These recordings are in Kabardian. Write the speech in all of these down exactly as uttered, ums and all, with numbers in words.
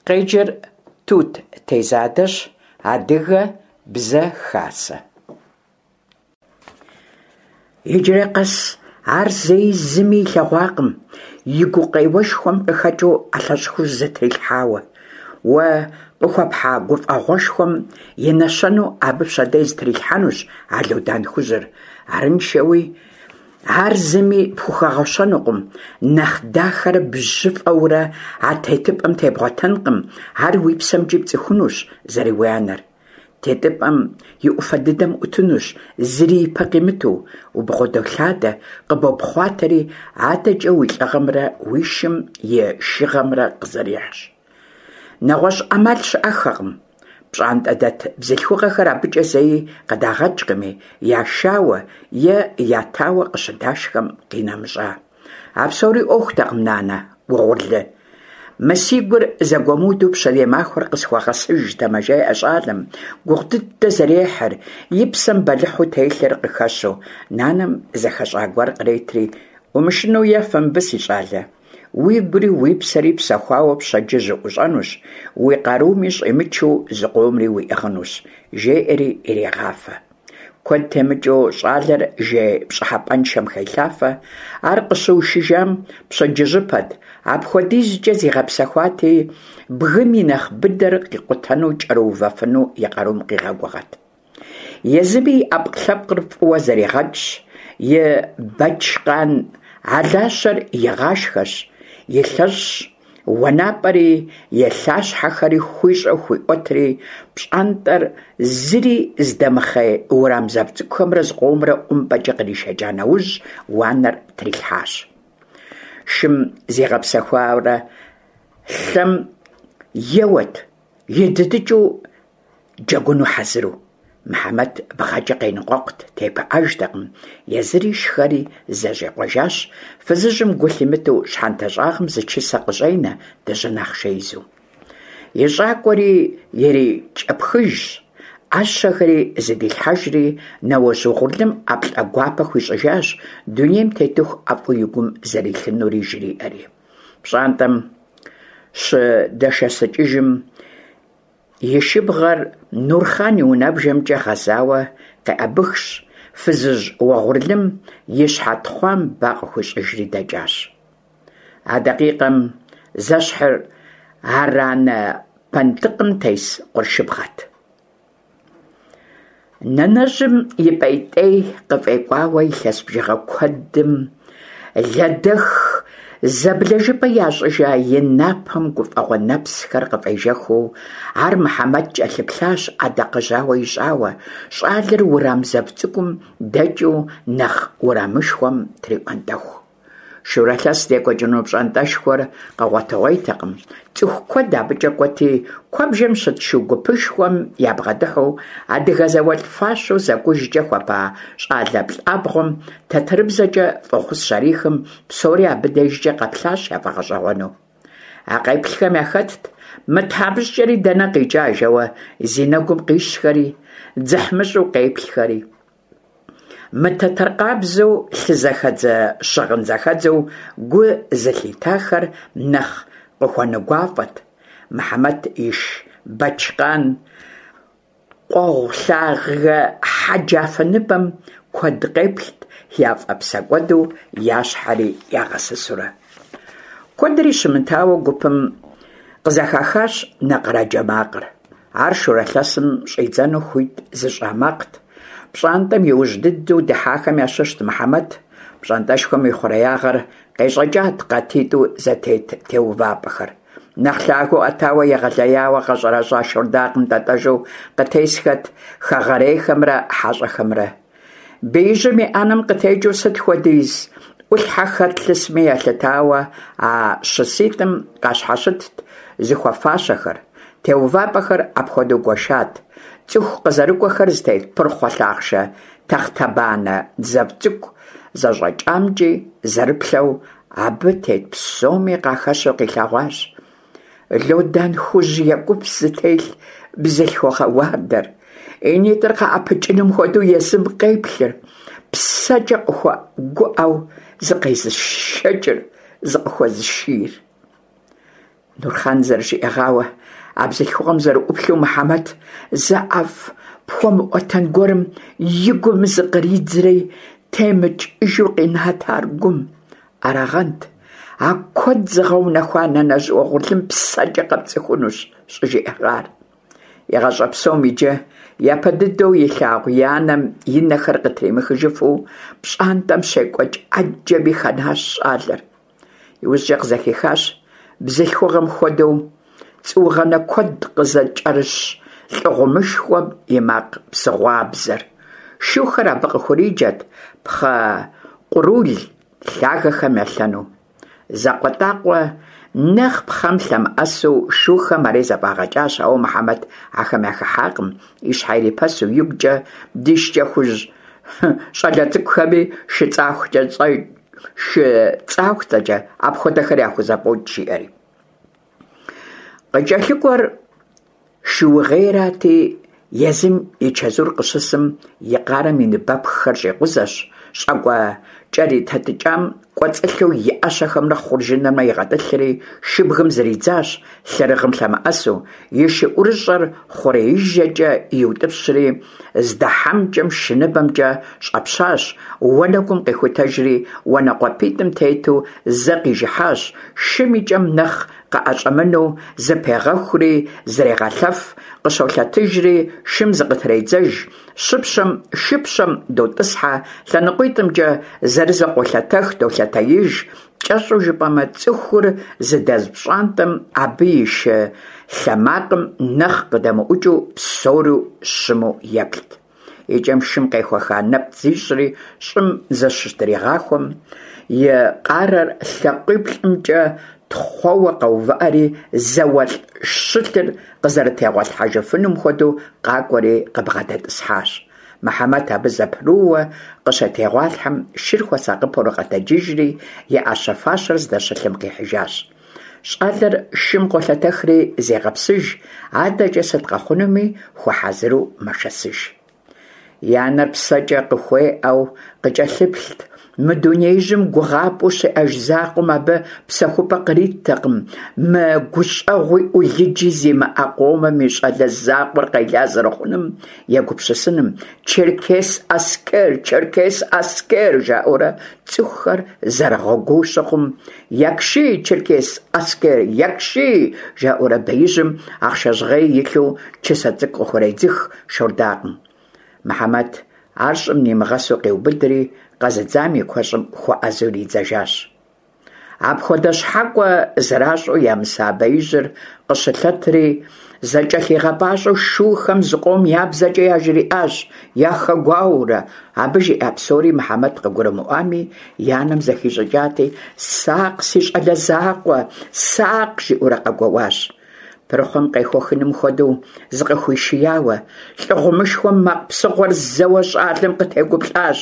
Къеджэр Тут Тезадэщ. Адыгэ Бзэ Хасэ. Иджыри къэс ар зэи зыми илъэгъуакъым, и гукъеуэшхуэм къыхэкӀыу ӀэлъэщӀ хужь зытрилъхьауэ. Уэ къыхуэпхьа гуфӀэгъуэшхуэм и нэщэнэу абы пщэдей зытрилъхьэнущ а лодан хужьыр. Арыншэуи ар зыми пхухэгъуэщэнукъым, нэхъ дахэрэ бжьыфӀэурэ а тетыпӀэм тебгъуэтэнкъым, ар уи псэмкӀи пцӀыхунущ зэрыуи анэр. ТетыпӀэм и Ӏуфэ дыдэм Ӏутынущ, зыри ипэ къимыту, убгъэдолъадэ, къыбопхъуатэри, адэкӀэ уи лӀыгъэмрэ уи шым и шыгъэмрэ къызэрихьщ. НэгъуэщӀ Ӏэмал щыӀэххэкъым. ПщӀантӀэдэт бзылъхугъэхэр абыкӀэ зэи къыдагъэкӀкъыми, яшауэ е ятауэ къыщыдашхэм къинэмыщӀа. А псори Ӏуэхутэкъым, нанэ угъурлы, мы си гур зэгуэмыуду пщэдей махуэр къысхуэгъэсыжтэмэ, жеӀэ щӀалэм, гугъу дыдэ зэрехьыр, и псэм бэлыхьу телъыр къыхэщу. Нанэм зэхэщӀа гуэр къретри: «Умышынэу ефэ мыбы, си щӀалэ, уигури уи псэри псэхуауэ пщэдджыжь уӀущӀэнущ, уи къаруми щӀимычу зыкъомри уиӀыгъынущ», – жеӀэри ирегъафэ. Куэд темыкӀыу щӀалэр жей пщӀыхьэпӀэншэм хелъафэ. Ар къыщыушыжам пщэдджыжьыпэт, апхуэдизкӀэ зигъэпсэхуати, бгым и нэхъ быдэр къикъутэну кӀэрыувэфыну и къарум къигъэгугъэт. Езыми и Ӏэпкълъэпкъыр фӀыуэ зэригъэкӀщ, и бэчкъан алащэр игъашхэщ, илъэщӀщ, уанапӀэри и лъащхьэхэри хуищӀэу хуиӀуэтри, пщӀантӀэр зыри зыдэмыхъей уэрам зэв цӀыкӀухэмрэ зыкъомрэ ӀумпӀэкӀэ къришэкӀа нэужь, уанэр трилъхьащ. Шым зигъэпсэхуарэ лъэм еуэт, идыдыкӀыу джэгуну хьэзыру. Мыхьэмэт бгъэкӀэ къеныкъуэкъут, тепыӀэжтэкъым, езыри шхэри зэщӀикъуэжащ, фызыжьым гу лъимытэу щхьэнтэ щӀагъым зы чысэ къыщӀенэ, дыжьын ахъшэ изу. И щӀакӀуэри ирикӀэпхыжщ, Ӏэщэхэри зыдилъхьэжри, нэуэжь угъурлым ӀэплӀэ гуапэ хуищӀыжащ, дунейм тетыху ӀэфӀу и гум зэрилъынури жриӀэри. ПщӀантӀэм щыдэшэсыкӀыжым, и шыбгъэр Нурхъан и унэбжэмкӀэ гъэзауэ къеӀэбыхщ, фызыжь угъурлым и щхьэ тхъуам ба къыхуищӀыжри дэкӀащ. А дакъикъэм зэщхьыр аранэ пэнтӀыкъым тес къуршыбгъэт. Нанэжьым и пӀейтей къыфӀекӀуауэ илъэс бжыгъэ куэдым лэдэх зэблэжыпӀэ ящӀыжа и напэм гуфӀэгъуэ нэпсхэр къыфӀежэхыу, ар Мыхьэмэт кӀэлъыплъащ Ӏэдакъэжьауэ ищӀауэ, щӀалэр уэрам зэв цӀыкӀум дэкӀыу нэхъ уэрамышхуэм триӀуэнтӀэху. Шурэ лъэс здекӀуэкӀыну пщӀантӀэшхуэр къэгъуэтыгъуейтэкъым. ЦӀыху куэд абыкӀэ кӀуэти, куэбжэм щыт шу гупышхуэм ябгъэдыхьэу, адыгэ зауэлӀ фащэу зэкӀужкӀэ хуэпа щӀалэ плӀабгъуэм тэтэрыбзэкӀэ фӀэхъус щарихым, псори абы дежкӀэ къэплъащ яфӀэгъэщӀэгъуэну. А къеплъхэм яхэтт «Мы тхьэмыщкӀэри дэнэ къикӀа?» жэуэ зи нэгум къищхэри, дзыхьмыщӀу къеплъхэри. Мытэтэр къабзэу, лъы зэхэдзэ, щыгъын зэхэдзэу гу зылъитахэр нэхъ къыхуэнэгуафӀэт. Мыхьэмэт иш Бэчкъан къуэгъу лъагэ хьэджафэ ныбэм куэд къеплът, яфӀэпсэкӀуэду я щхьэри ягъэсысурэ. Куэдри щымытауэ гупым къызэхахащ нэкъыраджэ макъыр. Ар шурэ лъэсым щӀидзэну хуит зыщӀа макът. ПщӀантӀэм иужь дыдэу дыхьахэм ящыщт Мыхьэмэт. ПщӀантӀэшхуэм и хъуреягъыр къещӀэкӀат къатитӀу зэтет теувапӀэхэр. Нэхъ лъагэу Ӏэтауэ егъэлеяуэ къэщӀэрэщӀа шордакъым тӀэтӀэжу къытесхэт хэгъэрейхэмрэ хьэщӀэхэмрэ. Беижьым и Ӏэнэм къытекӀыу сыт хуэдиз Ӏулъхьэ хэт лъысми елъытауэ а щыситӀым къащхьэщытт зыхуэфащэхэр. ТеувапӀэхэр апхуэдэу гуэшат. ЦӀыху къызэрыкӀуэхэр зытет пырхъуэ лъахъшэ тэхътэбанэ зэв цӀыкӀу зэщӀэкӀамкӀи зэрыплъэу, абы тет псоми къахэщу къилъэгъуащ лодан хужь екӀупс зытелъ бзылъхугъэ уардэр, и нитӀыр къыӀэпыкӀыным хуэдэу езым къеплъыр, псэкӀэ къыхуэгуӀэу зыкъезышэкӀыр, зыкъыхуэзышийр. Нурхъан зэрыжиӀэгъауэ, а бзылъхугъэм зэрыӀуплъэу Мыхьэмэт зы ӀэфӀ пхуэмыӀуэтэн гуэрым и гум зыкъридзри темыкӀыжу къинат ар гум. Арагъэнт а куэд зыгъэунэхуа нанэжь уэгъурлым псэкӀэ къэпцӀыхунущ щӀыжиӀэгъар. И гъащӀэ псом иджы япэ дыдэу илъагъу и анэм и нэхэр къытримыхыжыфу пщӀантӀэм щекӀуэкӀ Ӏэджэми хэнащ щӀалэр. ИужькӀэ къызэхихащ бзылъхугъэм хуэдэу цӀуугъэнэ куэд къызыкӀэрыщ лӀы гъумышхуэм и макъ псыгъуабзэр. Шухэр абы къыхуриджэрт пхъэ къурул лъагэхэм елъэну. ЗакъуэтӀакъуэ нэхъ пхъэм лъэмыӀэсу шухэм ари зэфӀагъэкӀащ, ауэ Мыхьэмэт ахэм яхыхьакъым, и щхьэ ирипэсу игукӀэ ди шкӀэ хужь щӀалэ цӀыкӀухэми шыцӀахуцӀэкӀэ апхуэдэхэр яхузэфӀокӀ, жиӀэри. КъыкӀэлъыкӀуэр шуугъейрати, езым и чэзур къыщысым, и къарэм и ныбэпххэр щӀикъузэщ, щӀакӀуэ кӀэритэтӀыкӀам кӀуэцӀылъу и Ӏэщэхэмрэ хъуржынымрэ игъэтӀылъри, шыбгым зридзащ, лъэрыгъым лъэмыӀэсу, и шы ӀурыщӀэр хъуреижэкӀэ иутӀыпщри, здэхьэмкӀэм шыныбэмкӀэ щӀэпщащ, уанэгум къихутэжри, уанэкъуапитӀым тету зэ къижыхьащ, шым и кӀэм нэхъ къыӀэщӀэмынэу зыпегъэхури зрегъэлъэф, къыщолъэтыжри шым зыкъытредзэж, щыпщэм шыпщэм дотӀысхьэ, лъэныкъуитӀымкӀэ зырызу къолъэтэх, долъэтеиж, кӀэщӀу жыпӀэмэ, цӀыхур зыдэз пщӀантӀэм абы и шы лъэ макъым нэхъ къыдэмыӀукӀыу псори щыму еплът. И кӀэм шым къехуэха нэпцӀ зищӀри щӀым зыщытригъахуэм, и къарэр лъакъуиплӀымкӀэ тхъуэуэ къэувыӀэри, зауэлӀ щылъыр къызэрытегъуэлъхьэжыфынум хуэдэу къакӀуэри къыбгъэдэтӀысхьащ. Мыхьэмэт абы зэпрыууэ къыщытегъуалъхьэм, шыр хуэсакъыпэурэ къэтэджыжри, и Ӏэщэ-фащэр здэщылъым къихьыжащ. ЩӀалэр шым къолъэтэхри зегъэпсыж, адэкӀэ сыт къэхъунуми хуэхьэзыру мэшэсыж. И анэр псэкӀэ къыхуеӀэу къыкӀэлъыплът, мы дунеижьым гугъапӀэу щиӀэж закъуэм абы псэхупӀэ къриттэкъым, мы гущӀэгъуи Ӏулыджи зимыӀэ къомым и щӀалэ закъуэр къела зэрыхъуным егупсысыным. «Черкес аскер! Черкес аскер!» жаӀэурэ цӀыхухэр зэрыгъэгуоу щыхъум, «Якши, черкес аскер, якши!» жаӀэурэ беижьым ахъшэ жьгъей илъу чысэ цӀыкӀу къыхуредзых шордакъым. Мыхьэмэт ар щӀым нимыгъэсу къиубыдри, къэзыдзам и куэщӀым хуэӀэзэу иридзэжащ. Апхуэдэ щхьэкӀуэ зэращӀу ямыса беижьыр къыщылъэтри, зэкӀэлъигъэпӀащӀэу шухэм зыкъом я бзэкӀэ яжриӀащ, яхэгуауэурэ. Абы жиӀа псори Мыхьэмэт къыгурымыӀуами, и анэм зэхищӀыкӀати, «Сакъ, си щӀалэ закъуэ, сакъ!» жиӀэурэ къэгуоуащ. Пырхъуэм къехуэхыным хуэдэу зыкъыхуишияуэ, лӀы гъумышхуэм макъ псыгъуэр зэуэ щӀалэм къытегуплӀащ,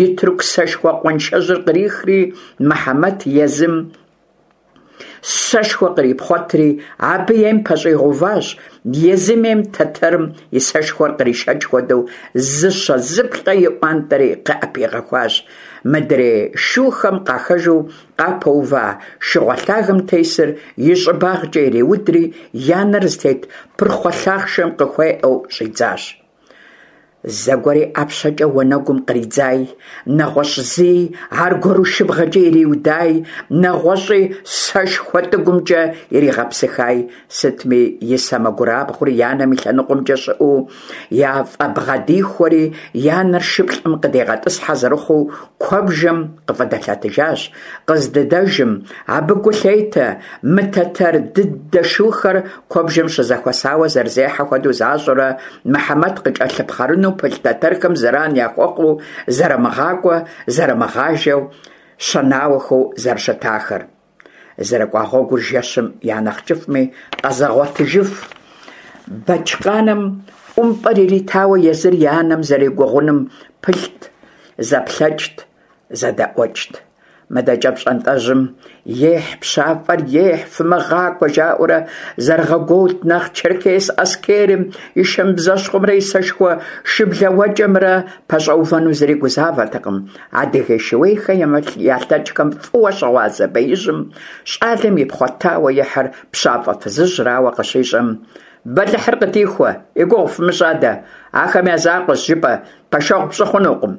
и тырку сэшхуэ къуаншэжьыр кърихри, Мыхьэмэт езым сэшхуэ кърипхъуэтри, абы ейм пэщӀигъэуващ, езым ейм тэтэрым и сэшхуэр къришэкӀ хуэдэу зыщэ-зыплӀэ иӀуантӀэри къыӀэпигъэхуащ. Мыдрей шухэм къахэжу къапэува шыгъуэ лъагэм тесыр и щӀыбагъкӀэ ириудри, и анэр зытет пырхъуэ лъахъшэм къыхуеӀэу щӀидзащ. Зэгуэри ӀэпщэкӀэ уанэгум къридзаи, нэгъуэщӀ зыи аргуэру шыбгъэкӀэ ириудаи, нэгъуэщӀи сэшхуэ тӀыгумкӀэ иригъэпсыхаи, сытми и сэмэгурабгъур и анэм и лъэныкъуэмкӀэ щыӀэу яфӀыбгъэдихуэри, и анэр шыплӀэм къыдигъэтӀысхьэ зэрыхъуу, куэбжэм къыфӀыдэлъэтыжащ. Къыздыдэжым абы гу лъетэ мы тэтэр дыдэ шухэр куэбжэм щызэхуэсауэ зэрызехьэ хуэдэу защӀурэ, Мыхьэмэт къыкӀэлъыпхъэрыну пылъ тэтэрхэм зэран яхуэхъуу, зэрымыгъакӀуэ, зэрымыгъажэу, щэнауэхэу зэрыщытахэр. ЗэрыкӀуа гъуэгур жэщым я нэхъ кӀыфӀми къэзыгъуэтыжыф Бэчкъаным ӀумпӀэр иритауэ езыр и анэм зэрегугъуным пылът, зэплъэкӀт, зэдэӀуэкӀт. Мыдэкӏэ пщӏантӏэжьым «Ехь, пщафӏэр ехь, фымыгъакӏуэ!» жаӏэурэ зэрыгъэгуоут, нэхъ черкес аскерым и шэмбзэщхъумрэ и сэшхуэ шыблэуэкӏэмрэ пэщӏэувэну зыри гузавэртэкъым. Адыгей шууейхэм ялъэкӏхэм фӏыуэ щыгъуазэ беижьым щӏалэм ипхъуэтауэ ихьыр пщафӏэ фызыжьрауэ къыщищӏэм, «Бэлыхьыр къыдихуэ, и гугъу фымыщӏ адэ, ахэм я закъуэщ жыпӏэ, пэшэгъу пщӏы хъунукъым.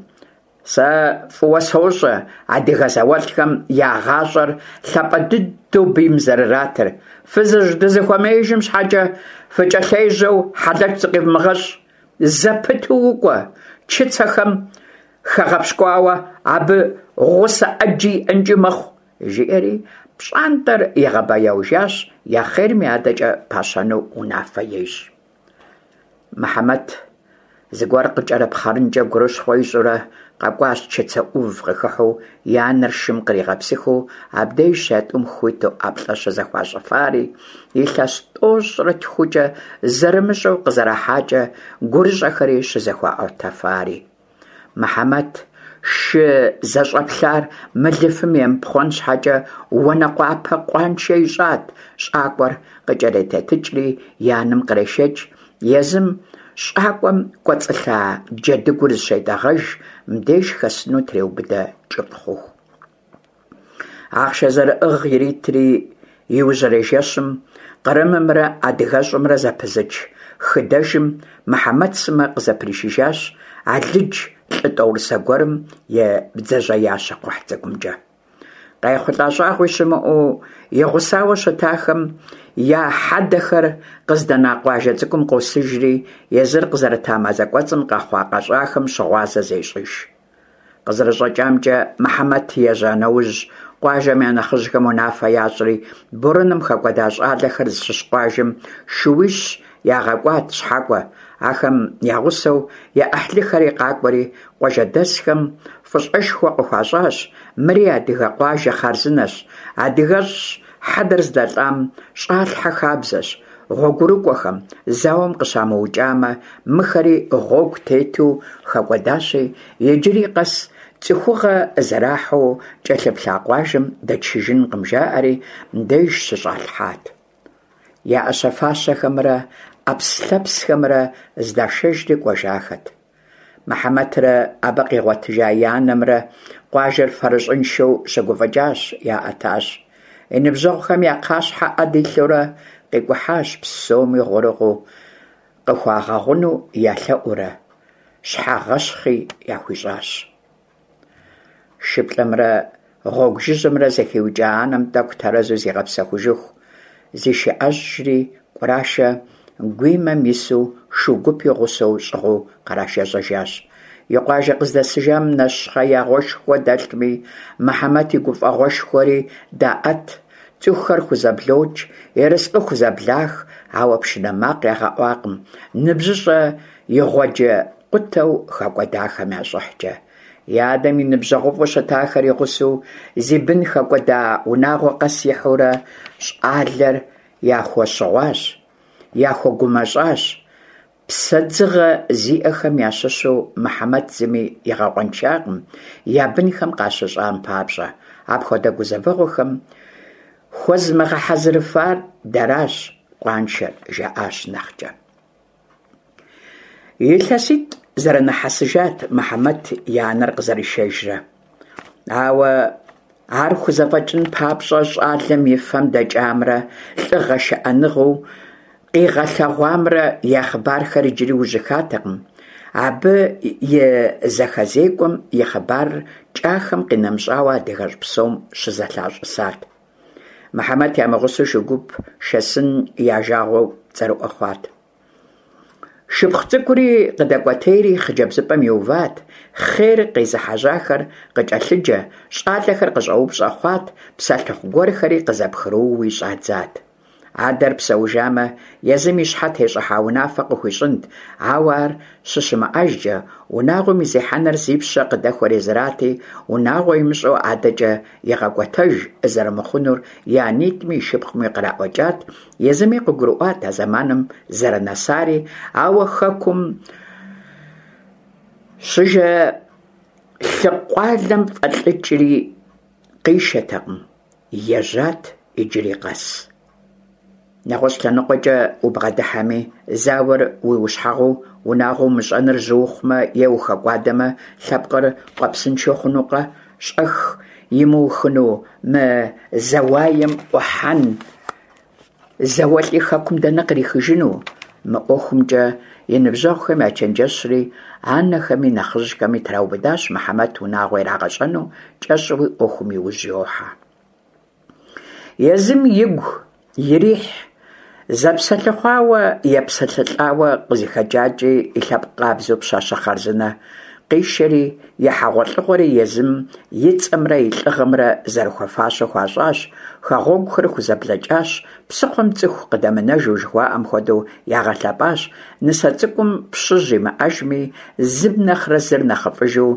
Сэ фӏыуэ сощӏэ адыгэ зауэлӏхэм я гъащӏэр лъапӏэ дыдэу бийм зэрыратыр. Фызыжь дызыхуэмеижым щхьэкӏэ фыкӏэлъежьэу хьэлэч зыкъивмыгъэщӏ. Зэпыту укӏуэ, чыцэхэм хэгъэпщкӏуауэ абы гъусэ ӏэджи иӏэнкӏи мэхъу», жиӏэри пщӏантӏэр игъэбэяужащ, я хъерми адэкӏэ пащэну унафэ ещӏ. Мыхьэмэт зыгуэр къыкӏэрыпхъэрынкӏэ гурыщхъуэ ищӏурэ къэкӏуащ чыцэ ӏув къыхыхьэу и анэр шым къригъэпсыхыу, абдежщ а тӏум хуиту ӏэплӏэ щызэхуащӏыфари, илъэс тӏощӏрэ тхукӏэ зэрымыщӏэу къызэрахьакӏэ гурыщӏэхэри щызэхуаӏуэтэфари. Мыхьэмэт шы зэщӏэплъар мылыфым емыпхъуэн щхьэкӏэ уанэкъуапэ къуаншэ ищӏат, щӏакӏуэр къыкӏэретэтыкӏри и анэм кърешэкӏ, езым щӏакӏуэм кӏуэцӏылъа джэдыгур зыщетӏэгъэж, мыбдеж хэсыну треубыдэ кӏыфӏ хъуху. Ахъшэ зэрыӏыгъ иритри, иужьрей жэщым Кърымымрэ адыгэщӏымрэ зэпызыч хыдэжым Мыхьэмэт сымэ къызэпришыжащ алыдж лӏы тӏорысэ гуэрым и бдзэжьеящэ кхъухь цӏыкӏумкӏэ. Къайхъулӏа щӏагъуи щымыӏэу и гъусауэ щытахэм я хьэдэхэр къыздэна къуажэ цӏыкӏум къосыжри, езыр къызэрыта мазэ кӏуэцӏым къэхъуа-къэщӏахэм щыгъуазэ зещӏыж. КъызэрыщӀэкӀамкӀэ, Мыхьэмэт ежьа нэужь, къуажэм я нэхъыжьхэм унафэ ящӏри, борэным хэкӏуэда щӏалэхэр зыщыщ къуажэм шууищ ягъэкӏуат щхьэкӏуэ. Ахэм я гъусэу я ӏыхьлыхэри къакӏуэри, къуажэдэсхэм фӏыщӏэшхуэ къыхуащӏащ, мыри адыгэ къуажэ хъарзынэщ, адыгэщӏщ, хьэдэр здэлӏам щӏалъхьэ хабзэщ, гъуэгурыкӏуэхэм зауэм къыщамыукӏамэ, мыхэри гъуэгу тету хэкӏуэдащи, иджыри къэс цӏыхугъэ зэрахьэу кӏэлъыплъа къуажэм дэтшыжынкъым, жаӏэри мыбдеж щыщӏалъхьат. Я ӏэщэ-фащэхэмрэ ӏэпслъэпсхэмрэ здашэжри кӏуэжахэт. Мыхьэмэтрэ абы къигъуэтыжа и анэмрэ къуажэр фэрыщӏыншэу щыгуфӏыкӏащ, яӏэтащ. И ныбжьэгъухэм я кхъащхьэ ӏэ дилъэурэ къикӏухьащ, псоми гъурыгъуу къыхуагъэгъуну ялъэӏуурэ, щхьэгъэщхъи яхуищӏащ. Шыплӏэмрэ гъуэгу жыжьэмрэ зэхиукӏа анэм тӏэкӏу тэрэзу зигъэпсэхужыху зишыӏэжри, Кӏурашэ гуимэм ису шу гуп и гъусэу щӏыгъуу кърашэжьэжащ. И къуажэ къыздэсыжам нэщхъеягъуэшхуэ дэлъми, Мыхьэмэт и гуфӏэгъуэшхуэри даӏэт, цӏыхухэр хузэблокӏ, ерыскъы хузэблах, ауэ пшынэ макъ ягъэӏуакъым ныбжьыщӏэ игъуэджэ къутэу хэкӏуэдахэм я щӏыхькӏэ. И адэм и ныбжьэгъуфӏу щытахэр и гъусэу зи бын хэкӏуэда унагъуэ къэс ихьэурэ щӏалэр яхуэщыгъуащ, яхуэгумэщӏащ. Псэдзыгъэ зиӏэхэм ящыщу Мыхьэмэт зыми игъэкъуэншакъым я бынхэм къащыщӏам папщӏэ. Апхуэдэ гузэвэгъуэхэм хуэзмыгъэхьэзырыфар дэращ къуаншэр, жаӏащ нэхъкӏэ. Илъэситӏ зэрынэхьэсыжат Мыхьэмэт и анэр къызэришэжрэ. Ауэ ар хузэфӏэкӏын папщӏэ щӏалэм и фэм дэкӏамрэ лӏыгъэ шыӏэныгъэу къигъэлъэгъуамрэ я хъыбархэр иджыри ужьыхатэкъым. Абы и зэхэзекӏуэм и хъыбарыр кӏахэм къинэмыщӏауэ адыгэщӏ псом щызэлъащӏысат. Мыхьэмэт ямыгъусэу шу гуп шэсын я жагъуэу цӏэрыӏуэ хъуат. Шыпхъу цӏыкӏури къыдэкӏуэтейри хъыджэбзыпӏэм иуват, хъер къезыхьэжьахэр къыкӏэлъыджэ, щӏалэхэр къыщӏэупщӏэ хъуат, псэлъыхъу гуэрхэри къызэпхрыууи щӏадзат. Адэр псэужамэ, езым и щхьэ тещӏыхьа унафэ къыхуищӏынт, ауэ ар щыщымыӏэжкӏэ, унагъуэм и зехьэныр зи пщэ къыдэхуэр езырати, унагъуэ имыщӏэу адэкӏэ игъэкӏуэтэж зэрымыхъунур и анитӏми и шыпхъуми къраӏуэкӏат, езыми къыгурыӏуат а зэманым зэрынэсари, ауэ хэкум щыжэ лъыкъуалэм фӏэлӏыкӏри къишэтэкъым, ежьат иджыри къэс. НэгъуэщӀ лъэныкъуэкӀэ убгъэдыхьэми, зауэр уи ущхьэгъуу унагъуэ умыщӀэныр жьы ухъумэ е ухэкӀуадэмэ, лъэпкъыр къуэпсыншэ хъунукъэ, щӀэх имыухыну мы зауаем Ӏухьэн зауэлӀи хэкум дэнэ кърихыжыну? Мы ӀуэхумкӀэ и ныбжьэгъухэм ячэнджэщри, анэхэми нэхъыжьхэми траубыдащ Мыхьэмэт унагъуэ ирагъэщӀэну, кӀэщӀуи Ӏуэхум иужь йохьэ. Езым игу ирихь, зэпсэлъыхъуауэ, епсэлъылӀауэ, къызыхэкӀакӀи и лъэпкъ къабзэу пщащэ хъарзынэ къишэри, и хьэгъуэлӀыгъуэри езым и цӀэмрэ и лӀыгъэмрэ зэрыхуэфащэу хуащӀащ, хэгъуэгухэр хузэблэкӀащ, псыхъуэм цӀыху къыдэмынэжу жыхуаӀэм хуэдэу ягъэлъэпӀащ, нысэ цӀыкӀум пщыжь имыӀэжми, зым нэхърэ зыр нэхъыфӀыжу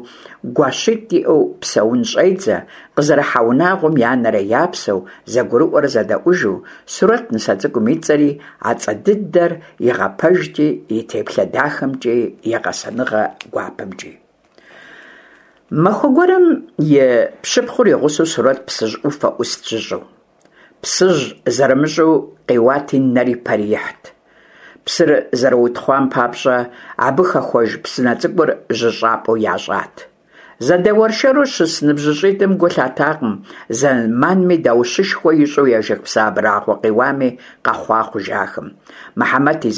гуащитӀ иӀэу псэун щӀедзэ, къызэрыхьа унагъуэм я нэрэ я псэу, зэгурыӀуэрэ зэдэӀужу, Сурэт нысэ цӀыкӀум и цӀэри а цӀэ дыдэр игъэпэжти, и теплъэ дахэмкӀи, и гъэсэныгъэ гуапэмкӀи. Махуэ гуэрым и пщыпхъур и гъусэу Сурэт Псыжь Ӏуфэ Ӏуст жьыщӀэу. Псыжь зэрымыщӀэу къиуати, нэри пэри ихьт. Псыр зэрыутхъуам папщӀэ абы хэхуэж псынэ цӀыкӀур жьыщӀапӀэу ящӀат. Зэдэуэршэру щыс ныбжьыщӀитӀым гу лъатакъым зэманми даущышхуэ ищӀу ежэх псы абрагъуэ къиуами къэхъуа хъужахэм. Мыхьэмэт и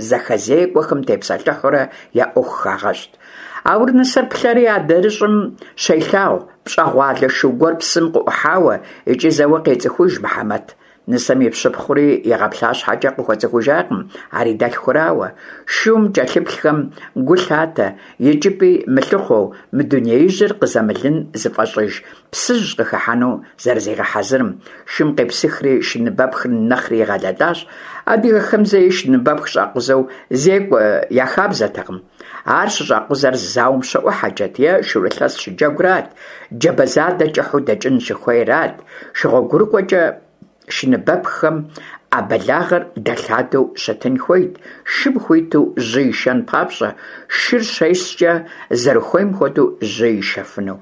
зэхэзекӀуэхэм тепсэлъыхьурэ я Ӏуэху хагъэщӀт. Ауэрэ нысэр плъэри адрыщӀым щелъагъу пщӀэгъуалэ шу гуэр псым къыӀухьауэ икӀи зэуэ къецӀыхуж Мыхьэмэт. Нысэм и пщыпхъури игъэплъа щхьэкӀэ къыхуэцӀыхужакъым ар и дэлъхурауэ. Шум кӀэлъыплъхэм гу лъатэ, икӀыпӀи мылъыхъуэу, мы дунеижьыр къызэмылын зыфӀэщӀыж Псыжь къыхыхьэну зэрызигъэхьэзырым. Шым къепсыхри шыныбэпхыр нэхъри игъэлэлащ. Адыгэхэм зэи шыныбэпх щӀакъузэу зекӀуэ я хабзэтэкъым. Ар щыщӀакъузэр зауэм щыӀухьэкӀэт е шурылъэс щыджэгурат, джабэ задэ кӀыхьу дэкӀын щыхуейрат. ШыгъуэгурыкӀуэкӀэ шыныбэпххэм Ӏэ бэлагъыр дэлъадэу щытын хуейт, шым хуиту жьы ишэн папщӀэ, шыр щескӀэ зэрыхуейм хуэдэу жьы ишэфыну.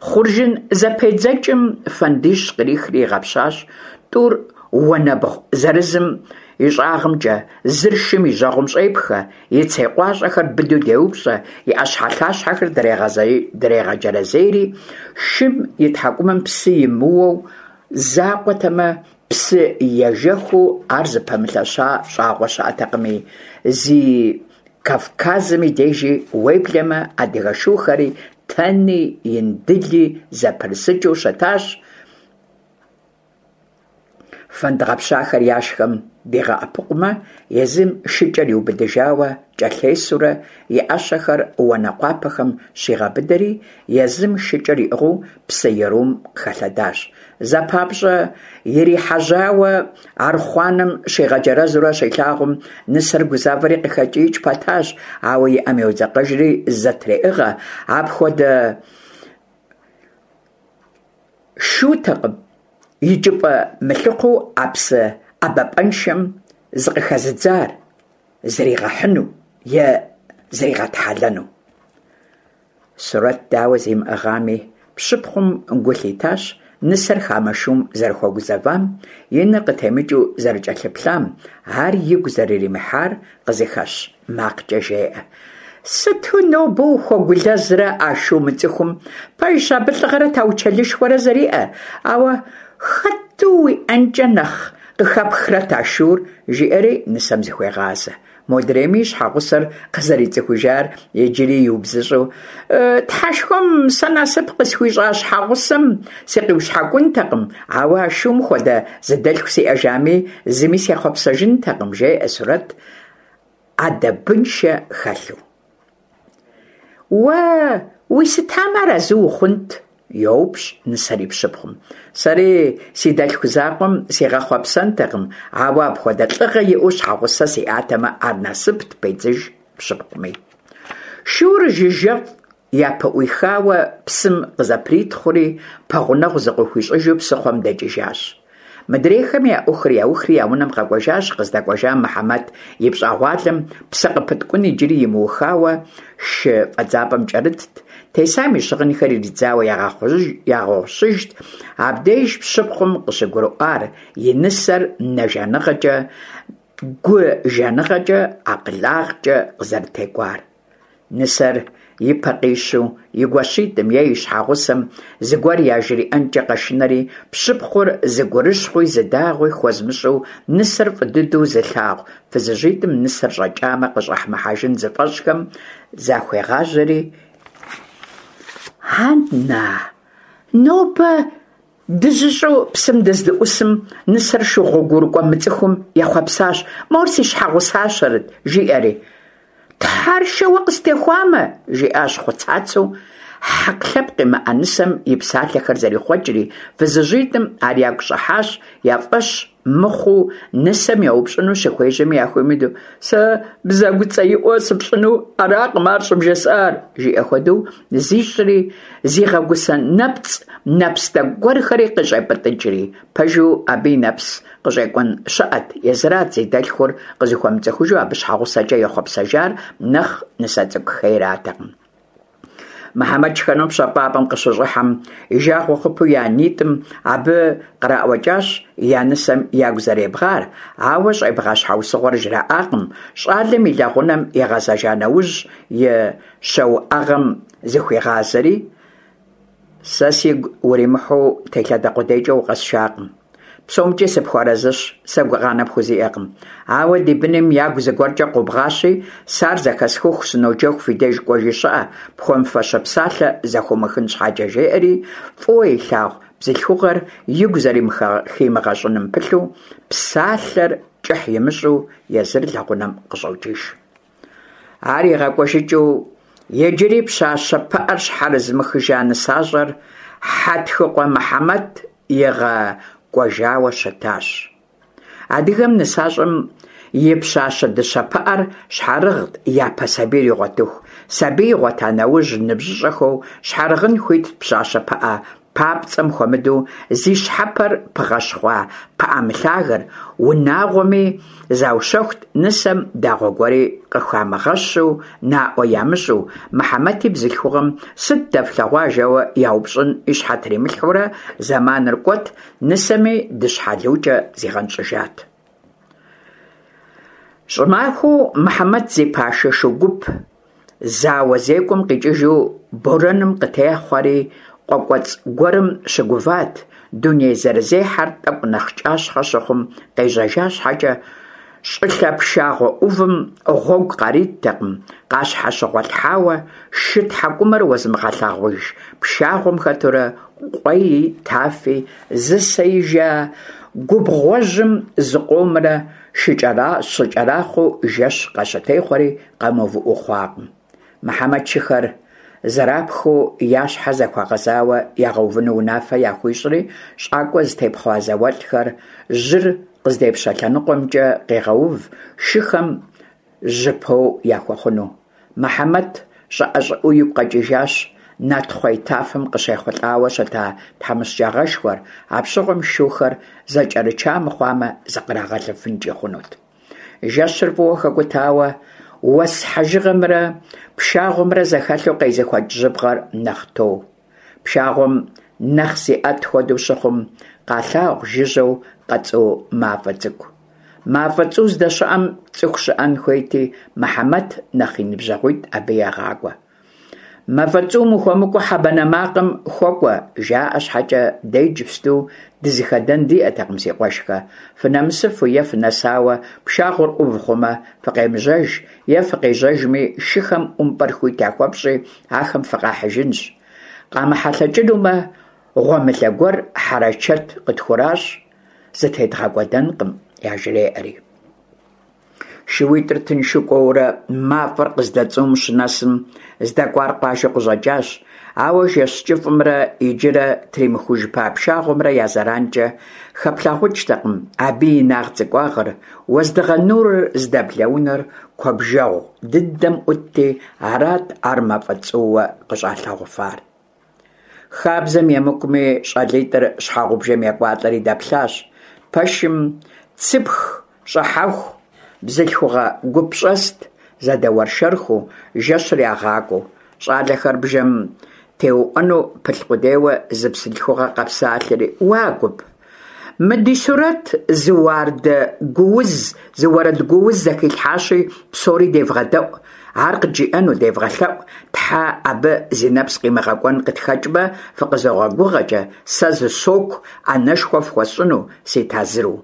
Хъуржын зэпедзэкӀым фэндищ кърихри игъэпщащ, тӀур уанэбгъу зырызым и щӀагъымкӀэ, зыр шым и жьэгъум щӀепхэ, и цей къуащӀэхэр быдэу деупщӀэ, и Ӏэщхьэлъащхьэхэр дрегъэджэрэзейри, шым и тхьэкӀумэм псы имыуэу закъуэтэмэ, псы ежэхыу ар зыпэмылъэща щӀагъуэ щыӀэтэкъыми, зи Кавказым и дежи, уеблэмэ адыгэ шухэри Тэни Индыли зэпрысыкӀыу щытащ, фэнд гъэпщахэр яшхэм дигъэӀэпыкъумэ, езым шыкӀэр иубыдыжауэ кӀэлъесурэ и Ӏэщэхэр уанэкъуапэхэм щигъэбыдэри, езым шыкӀэр иӀыгъыу псы ерум къыхэлъэдащ. Зэ папщӀэ ирихьэжьауэ архъуанэм щигъэджэрэзурэ щилъагъум, нысэр гузавэри къыхэкӀиикӀ пэтащ, ауэ и Ӏэм йодзэкъэжри зэтреӀыгъэ, апхуэдэ шутэкъым икӀыпӀэ мылъыхъуэу а псы ӀэбапӀэншэм зыкъыхэзыдзар, зригъэхьыну е зригъэтхьэлэну. Сурэт дауэ зимыӀыгъами, пщыпхъум гу лъитащ нысэр хамэ шум зэрыхуэгузэвам, и нэр къытемыкӀыу зэрыкӀэлъыплъам, ар игу зэрыримыхьар къызыхэщ макъкӀэ жеӀэ: «Сыту нобэ ухуэгулэзрэ а шу мыцӀыхум? Пэжщ, абы лӀыгъэрэ таучэлышхуэрэ зэриӀэр, ауэ хэту уиӀэнкӀэ нэхъ къыхэпхрэт а шур?» жиӀэри нысэм зыхуегъазэ. Модрейми и щхьэгъусэр къызэрицӀыхужар иджыри иубзыщӀу: «Тхьэшхуэм сэ насып къысхуищӀа щхьэгъусэм сыкъиущхьэкӀунтэкъым, ауэ а шум хуэдэ зы дэлъху сиӀэжами, зыми сехъуэпсэжынтэкъым», жеӀэ Сурэт Ӏэдэбыншэ хэлъу. «Уэ уисытамэ, арэзы ухъунт?» йоупщӀ нысэр и пщыпхъум. «Сэри си дэлъху закъуэм сигъэхъуэпсэнтэкъым, ауэ апхуэдэ лӀыгъэ иӀэу щхьэгъусэ сиӀатэмэ, ар насыпт», педзыж пщыпхъуми. Шур жыжьэфӀ япыӀуихауэ псым къызэпритхъури, пэгъунэгъу зыкъыхуищӀыжу псыхъуэм дэкӀыжащ. Мыдрейхэми я ӏуэхур яухри я унэм къэкӏуэжащ. Къыздэкӏуэжам Мыхьэмэт и пщӏэгъуалэм псы къыпыткӏун иджыри имыухауэ шы фӏэдзапӏэм кӏэрытт, тесам и щыгъынхэр иридзауэ ягъэгъущыжт. Абдеж пщыпхъум къыщыгурыӏуар и нысэр нэ жаныгъэкӏэ, гу жаныгъэкӏэ, акъылагъкӏэ къызэрытекӏуар. Нысэр и пэ къищу и гуащитӏым е и щхьэгъусэм зыгуэр яжриӏэнкӏэ къэшынэри, пщыпхъур зы гурыщхъуи зы дагъуи хуэзмыщӏу нысэр фӏы дыдэу зылъагъу фызыжьитӏым нысэр щӏэкӏамэ къыщӏэмыхьэжын зыфӏэщӏхэм захуегъазэри: «Ан-на, нобэ дыжьыщӏэу псым дыздыӏусым нысэр шу гъуэгурыкӏуэ мыцӏыхум ехъуэпсащ, мор си щхьэгъусащэрэт, жиӏэри. Тхьэр шэуэ къыстехуамэ, жиӏащ хъуцацэу, хьэкъ лъэпкъ имыӏэ нысэм и псалъэхэр зэрихъуэкӏри, фызыжьитӏым ар ягу щӏыхьащ, я фӏэщ мыхъуу нысэм еупщӏыну щыхуежьэми яхуимыдэу, «Сэ бзэгуцӏэиӏуэ сыпщӏыну аракъым ар щӏыбжесӏар», жиӏэ хуэдэу зищӏри, зигъэгусэ нэпцӏ нэпс тӏэкӏу гуэрхэри къыщӏепӏытӏыкӏри. Пэжу, абы и нэпс къыщӏекӏуэн щыӏэт, езырат зи дэлъхур къызыхуэмыцӏыхужу абы щхьэгъусэкӏэ ехъуэпсэжар, нэхъ нысэ цӏыкӏу хейратэкъым. Мыхьэмэт шхэну пщэфӏапӏэм къыщыщӏыхьэм, и жагъуэ хъупэу я нитӏым абы къраӏуэкӏащ я нысэм ягу зэребгъар, ауэ щӏебгъа щхьэусыгъуэр жраӏакъым. Щӏалэм и лэгъунэм игъэзэжа нэужь, и щауӏэгъэм зыхуигъазэри: «Сэ сигу уримыхьу телъадэ къудейкӏэ укъэсшакъым. ПсомкӀи сыпхуэарэзыщ, сэ гукъанэ пхузиӀэкъым. Ауэ ди быным ягу зыгуэркӀэ къобгъащи, сэ ар зэхэсхыху сыноджэху фи деж кӀуэжи щыӀэ, пхуэмыфащэ псалъэ зэхыумыхын щхьэкӀэ», жеӀэри, фӀыуэ илъагъу бзылъхугъэр игу зэрыхимыгъэщӀыным пылъу, псалъэр кӀыхь имыщӀу езыр лэгъунэм къыщӀокӀыж. Ар игъэкӀуэжыкӀыу иджыри пщащэ пыӀэр щхьэрызмыхыжа нысащӀэр Хьэтхыкъуэ Мыхьэмэт игъэкӀуэжауэ щытащ. Адыгэм нысащӀэм и пщащэ дыщэ пыӀэр щхьэрыгът япэ сабийр игъуэтыху. Сабий игъуэта нэужь, ныбжьыщӀэхэу щхьэрыгъын хуитт пщащэ пыӀэ папцӀэм хуэмыдэу зи щхьэпэр пыгъэщхъуа пыӀэ мылъагэр, унагъуэми заущэхут нысэм дагъуэ гуэри къыхамыгъэщу, наӀуэ ямыщӀу. Мыхьэмэти бзылъхугъэм «сыт дэфлъэгъуа?» жэуэ яупщӀын и щхьэ тримылъхьэурэ зэманыр кӀуэт, нысэми дыщхьэлукӀэ зигъэнщӀыжат. ЩӀымахуэу Мыхьэмэт зи пашэ шу гуп зауэ зекӀуэм къикӀыжу борэным къытехъуэри къуэ кӀуэцӀ гуэрым щыгуват, дуней зэрызехьэр тӀэкӀу нэхъ кӀащхъэ щыхъум къежьэжа щхьэкӀэ, щӀылъэ пшагъуэ Ӏувым гъуэгу къариттэкъым, къащхьэщыгъуэлъхьауэ шы тхьэкӀумэр уэзымыгъэлъагъуж пшагъуэм хэтурэ къуэи тафи зысеижа губгъуэжьым зыкъомрэ щыкӀэрахъуэу жэщ къащытехъуэри къэмыувыӀэу хъуакъым. Мыхьэмэт шыхэр зэрапхыу я щхьэ зэхуэгъэзауэ ягъэувыну унафэ яхуищӀри, щӀакӀуэ зытепхъуа зауэлӀхэр жьыр къыздепщэ лъэныкъуэмкӀэ къегъэув, шыхэм жьыпэу яхуэхъуну. Мыхьэмэт щӀыӀэ-щӀыӀэу игу къэкӀыжащ Натхъуей тафэм къыщехъулӀауэ щыта тхьэмыщкӀагъэшхуэр, апщыгъуэм шухэр зэкӀэрыча мыхъуамэ, зыкърагъэлыфынкӀи хъунут. Жэщыр фӀыуэ хэкӀутауэ, уэс хьэжыгъэмрэ пшагъуэмрэ зэхэлъу къезыхуэкӀ жьыбгъэр нэхъ тоу. Пшагъуэм нэхъ зиӀэт хуэдэу щыхъум, къалъагъу жыжьэу къэцӀу мафӀэ цӀыкӀу. МафӀэ цӀу здэщыӀэм цӀыху щыӀэн хуейти, Мыхьэмэт нэхъ и ныбжьэгъуитӀ абы егъакӀуэ. «МафӀэ цӀум ухуэмыкӀуэу хьэ банэ макъым хуэкӀуэ», жаӀэ щхьэкӀэ, дэ иджыпсту дызыхэдэн диӀэтэкъым, си къуэшхэ. Фынэмысыфу е фынэсауэ пшагъуэр Ӏув хъумэ, фыкъемыжьэж, е фыкъежьэжми, шыхэм ӀумпӀэр хуит яхуэфщӀи, ахэм фыкъахьыжынщ. КъамыхьэлъэкӀынумэ, гъуэмылэ гуэр хьэрэчэт къытхуращӀ, зытедгъэкӀуэдэнкъым, яжреӀэри. ШууитӀыр тыншу кӀуэурэ мафӀэр къыздэцӀум щынэсым, здэкӀуар къуажэу къыщӀэкӀащ, ауэ жэщ кӀыфӀымрэ иджырэ тримыхужыпа пшагъуэмрэ я зэранкӀэ хэплъагъукӀтэкъым абы и инагъ-цӀыкӀуагъыр, уэздыгъэ нурыр здэблэ унэр куэбжэгъу дыдэм Ӏутти, арат ар мафӀэ цӀууэ къыщӀалъагъуфар. Хабзэм емыкӀуми, щӀалитӀыр щхьэгъубжэм екӀуалӀэри дэплъащ. Пэшым цыпх щӀыхьэху бзылъхугъэ гуп щӀэст, зэдэуэршэрхэу, жэщыр ягъакӀуэу. ЩӀалэхэр бжэм теуӀуэну пылъ къудейуэ, зы бзылъхугъэ къэпсалъэри: «Уа, гуп, мы ди Сурэт зы уардэ гууз, зы уэрэд гууз зэхилъхьащи, псори девгъэдэӀу, ар къыджиӀэну девгъэлъэӀу, тхьэ, абы зи нэпс къимыгъэкӀуэн къытхэкӀмэ, фыкъызогъэгугъэкӀэ сэ зы соку Ӏэнэшхуэ фхуэсщӀыну си тазыру.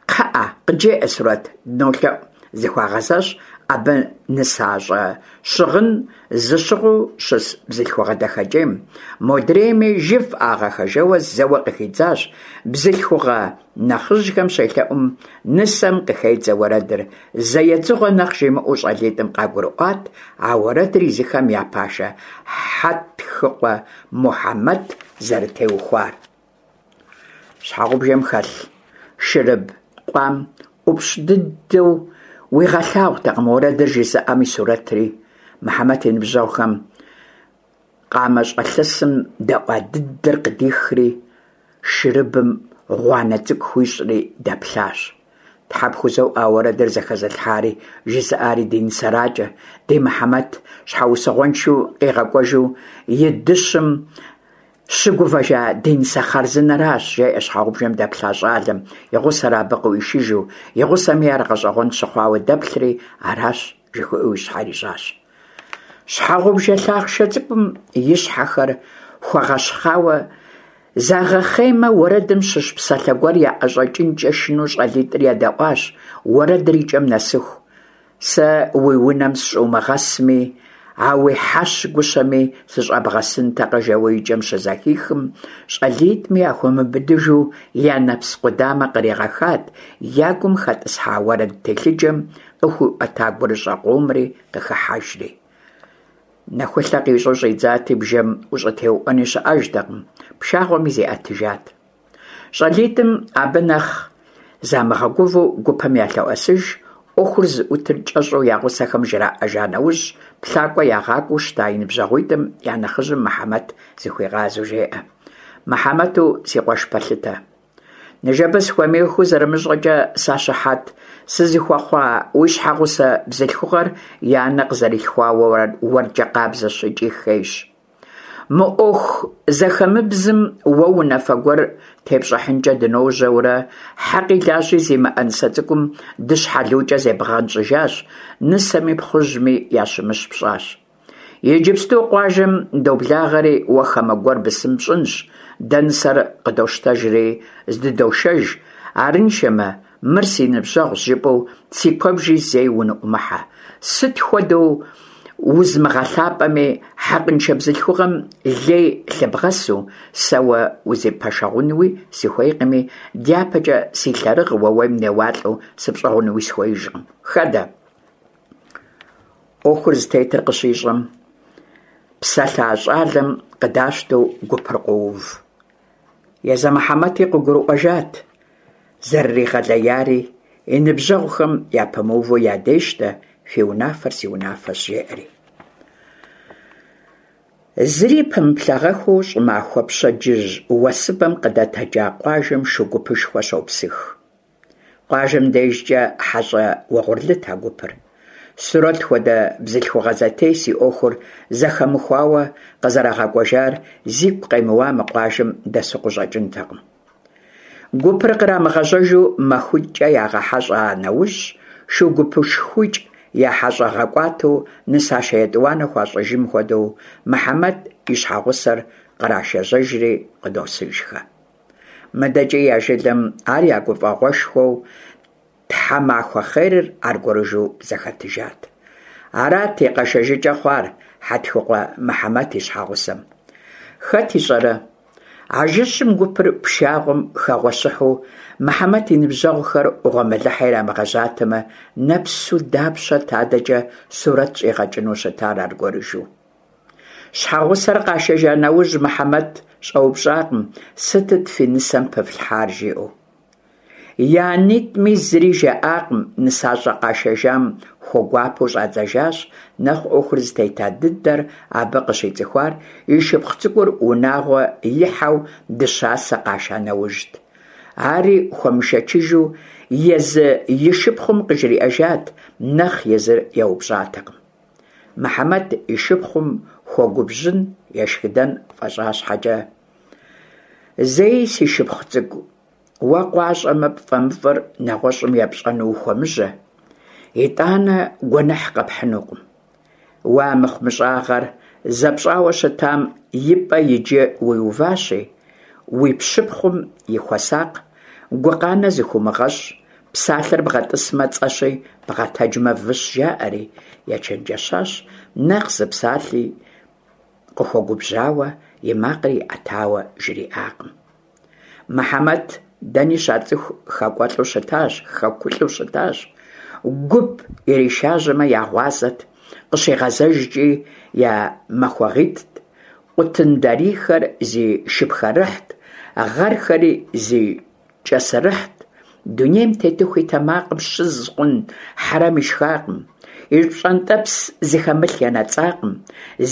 КхъыӀэ, къыджеӀэ, Сурэт, дынолъэӀу», - зыхуагъэзащ абы нысащӀэ щыгъын зыщыгъыу щыс бзылъхугъэ дахэкӀейм. Модрейми «жыфӀагъэххэ» жэуэ зэуэ къыхидзащ. Бзылъхугъэ нэхъыжьхэм щелъэӀум, нысэм къыхедзэ уэрэдыр. Зэ едзыгъуэ нэхъ жимыӀэу щӀалитӀым къагурыӀуат а уэрэдыр езыхэм я пашэ Хьэтхыкъуэ Мухьэмэт зэрытеухуар. Щхьэгъубжэм хэлъ шырыб къуам ӀупщӀ дыдэу уигъэлъагъуртэкъым уэрэдыр жызыӀэм и сурэтри. Мыхьэмэт и ныбжьэгъухэм къамэщӀэлъысым дэӀуа дыдэр къыдихри, шырыбым гъуанэ цӀыкӀу хуищӀри дэплъащ. «Тхьэ пхузоӀуэ, а уэрэдыр зэхэзылъхьари жызыӀари ди нысэракӀэ, ди Мыхьэмэт щхьэусыгъуэншэу къигъэкӀуэжу и дыщым щыгувэжа ди нысэ хъарзынэращ», – жеӀэ щхьэгъубжэм дэплъа щӀалэм, и гъусэр абы къыӀуишыжу. И гъусэми ар гъэщӀэгъуэн щыхъуауэ дэплъри, аращ жыхуиӀэу и щхьэр ищӀащ. Щхьэгъубжэ лъахъшэ цӀыкӀум и щхьэхэр хуэгъэщхъауэ, загъэхъеймэ, уэрэдым щыщ псалъэ гуэр яӀэщӀэкӀынкӀэ шынэу щӀалитӀыр едэӀуащ уэрэдыр и кӀэм нэсыху. «Сэ уи унэм сыщӀумыгъэсми, а уи хьэщ гущэми сыщӀэбгъэсынтэкъэ», жэуэ и кӀэм щызэхихым, щӀалитӀми яхуэмыубыдыжу я нэпс къудамэ къригъэхат, я гум хэтӀысхьа уэрэд телъыджэм къыхуиӀуэта гурыщӀэ къомри къыхыхьэжри. Нэхулъэ къищӀэу щӀидзати, бжэм ущӀытеуӀуэни щыӀэжтэкъым, пшагъуэми зиӀэтыжат. ЩӀалитӀым абы нэхъ замыгъэгувэу гупым ялъоӀэсыж, Ӏуэхур зыӀутыр кӀэщӀу я гъусэхэм жраӀэжа нэужь, плъакӀуэ ягъакӀуэу щыта и ныбжьэгъуитӀым я нэхъыжьым Мыхьэмэт зыхуигъазэу жеӀэ: «Мыхьэмэту си къуэш пэлъытэ! Ныжэбэ сыхуэмеиххэу зэрымыщӀэкӀэ сащыхьэт сызыхуэхъуа уи щхьэгъусэ бзылъхугъэр и анэ къызэрилъхуауэ уэркӀэ къабзэщ икӀи хейщ. Мы Ӏуэху зэхэмыбзым уэ унафэ гуэр тепщӀыхьынкӀэ дыножьэурэ, хьэкъи лажьи зимыӀэ нысэ цӀыкӀум дыщхьэлукӀэ зебгъэнщӀыжащ, нысэми пхъужьми ящымыщ пщӀащ. Иджыпсту къуажэм доблагъэри, уэ хамэ гуэр бысым пщӀынщ, дэ нысэр къыдощтэжри здыдошэж, арыншэмэ, мыр си ныбжьэгъущ жыпӀэу си куэбжи зэи уныӀумыхьэ. Сыт хуэдэу узмыгъэлъапӀэми, хьэкъыншэ бзылъхугъэм лей лъыбгъэсу, сэ уэ узипэшэгъунуи сыхуейкъыми, дяпэкӀэ си лъэрыгъ уэуейм неуалӀэу сыпщӀыгъунуи сыхуеижкъым. Хэдэ!» Ӏуэхур зытетыр къыщищӀэм, псэлъа щӀалэм къыдащтэу гупыр къоув. Езы Мыхьэмэти къыгурыӀуэжат зэрыригъэлеяри, и ныбжьэгъухэм япэмыуву ядещтэ, «фи унафэр си унафэщ», жеӀэри. Зыри пэмыплъагъэххэу щӀымахуэ пщэдджыжь уэсыбэм къыдэтэджа къуажэм шу гупышхуэ щопсых. Къуажэм дежкӀэ хьэщӀэ угъурлыт а гупыр. Сурэт хуэдэ бзылъхугъэ зэтес и Ӏуэхур зэхэмыхуауэ къызэрагъэкӀуэжар зигу къемыуа мы къуажэм дэсу къыщӀэкӀынтэкъым. Гупыр кърамыгъэжьэжу махуитӀкӀэ ягъэхьэщӀа нэужь, шу гупышхуикӀ я хьэщӀэ гъэкӀуатэу нысашэ етӀуанэ хуащӀыжым хуэдэу, Мыхьэмэт и щхьэгъусэр кърашэжьэжри къыдосыжхэ. МыдэкӀи я жылэм ар я гуфӀэгъуэшхуэу тхьэмахуэ хъерыр аргуэрыжьу зэхэтыжат. Арат и къэшэжыкӀэ хъуар Хьэтхыкъуэ Мыхьэмэт и щхьэгъусэм. Хэт ищӀэрэ, а жэщым гупыр пшагъуэм хэгъуэщыхьу Мыхьэмэт и ныбжьэгъухэр гъуэмылэхьэ ирамыгъэжьатэмэ, нэпсу дапщэт адэкӀэ Сурэт щӀигъэкӀыну щытар аргуэрыжьу. Щхьэгъусэр къашэжа нэужь, Мыхьэмэт щӀэупщӀакъым «сытыт фи нысэм пыфлъхьар?» жиӀэу. И анитӀми зыри жаӀакъым, нысащӀэ къашэжам хуэгуапэу щӀадзэжащ, нэхъ Ӏуэхур зытета дыдэр абы къыщицӀыхуар и шыпхъу цӀыкӀур унагъуэ ихьэу дыщасэ къаша нэужьт. Ари хуэмышэчыжу езы и шыпхъум къыжриӀэжат, нэхъ езыр еупщӀатэкъым. Мыхьэмэт и шыпхъум хуэгубжьын, ешхыдэн фӀэщӀа щхьэкӀэ, «Зэи, си шыпхъу цӀыкӀу, уэ къуащӀэмэ пфӀэмыфӀыр нэгъуэщӀым епщӀэну ухуэмыжьэ, итӀанэ гуэныхь къэпхьынукъым. Уэ а мыхъумыщӀагъэр зэпщӀауэ щытам и пӀэ иджы уиуващи, уи пщыпхъум и хуэсакъ, гукъанэ зыхуумыгъэщӀ, псалъэр бгъэтӀысмэ цӀэщи, бгъэтэджмэ выщ, жаӀэри», ечэнджэщащ, нэхъ зы псалъи къыхуэгубжьауэ, и макъри иӀэтауэ жриӀакъым. Мыхьэмэт дэни щацӀыху хэкӀуэлӀу щытащ, хэкулӀу щытащ. Гуп иришажьэмэ, я гъуазэт, къыщигъэзэжкӀи я махуэгъитӀт, къутын дарийхэр зи шыпхэрыхьт, гъэрхэри зи кӀэсырыхьт. Дунейм тетыху и тэмакъым щыз хъун хьэрэм ишхакъым, и пщӀэнтӀэпс зыхэмылъ енэцӀакъым,